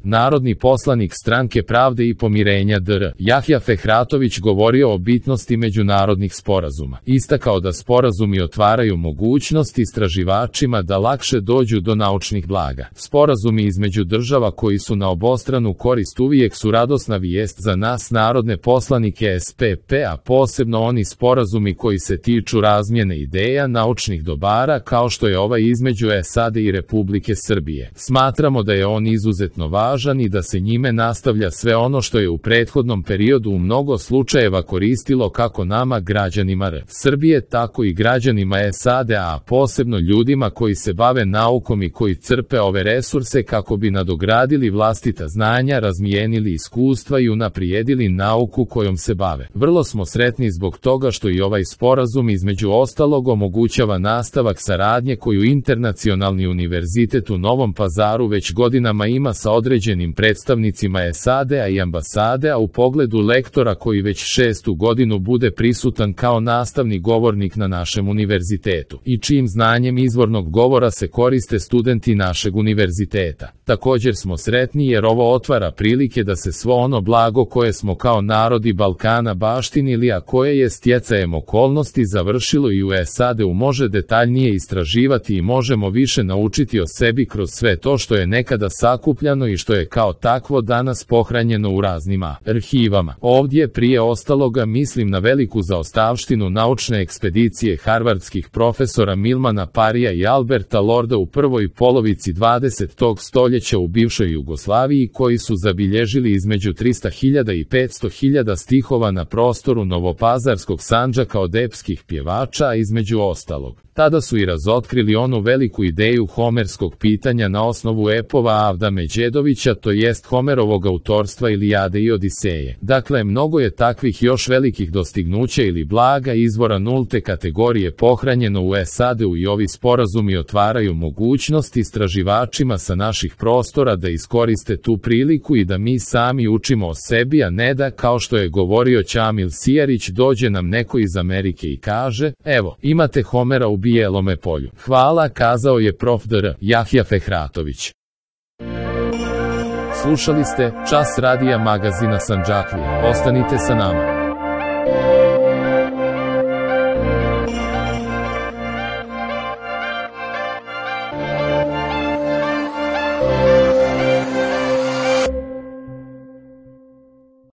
Narodni poslanik Stranke pravde i pomirenja dr. Jahja Fehratović govorio o bitnosti međunarodnih sporazuma. Istakao da sporazumi otvaraju mogućnost istraživačima da lakše dođu do naučnih blaga. Sporazumi između država koji su na obostranu korist uvijek su radosna vijest za nas narodne poslanike SPP, a posebno oni sporazumi koji se tiču razmjene ideja, naučnih dobara, kao što je ovaj između SAD i Republike Srbije. Smatramo da je on izuzetno važan i da se njime nastavlja sve ono što je u prethodnom periodu u mnogo slučajeva koristilo kako nama građanima Srbije, tako i građanima SAD, a posebno ljudima koji se bave naukom i koji crpe ove resurse kako bi nadogradili vlastita znanja, razmijenili iskustva i unaprijedili nauku kojom se bave. Vrlo smo sretni zbog toga što i ovaj sporazum između ostalog omogućava nastavak saradnje koju Internacionalni univerzitet u Novom Pazaru već godinama ima sa određenim predstavnicima SAD-a i ambasade, a u pogledu lektora koji već 6. godinu bude prisutan kao nastavni govornik na našem univerzitetu i čijim znanjem izvornog govora se koriste studenti našeg univerziteta. Također smo sretni jer ovo otvara prilike da se svo ono blago koje smo kao narodi Balkana baštinili, a koje je stjecajem okolnosti završilo i u SAD-u, može detaljnije istraživati i možemo više naučiti o sebi kroz sve to što je nekada sakupljano i što je kao takvo danas pohranjeno u raznim arhivama. Ovdje prije ostaloga mislim na veliku zaostavštinu naučne ekspedicije harvardskih profesora Milmana Parija i Alberta Lorda u prvoj polovici 20. stoljeća u bivšoj Jugoslaviji, koji su zabilježili između 300.000 i 500.000 stihova na prostoru Novopazarskog Sandžaka od epskih pjevača, a između ostalog tada su i razotkrili onu veliku ideju homerskog pitanja na osnovu epova Avda Međedovića, to jest Homerovog autorstva Ilijade i Odiseje. Dakle, mnogo je takvih još velikih dostignuća ili blaga izvora nulte kategorije pohranjeno u SAD-u i ovi sporazumi otvaraju mogućnost istraživačima sa naših prostora da iskoriste tu priliku i da mi sami učimo o sebi, a ne da, kao što je govorio Ćamil Sijarić, dođe nam neko iz Amerike i kaže: evo, imate Homera u Bijelome polju. Hvala, kazao je prof. dr. Jahja Fehratović. Slušali ste Čas radija magazina Sandžaklija. Ostanite sa nama.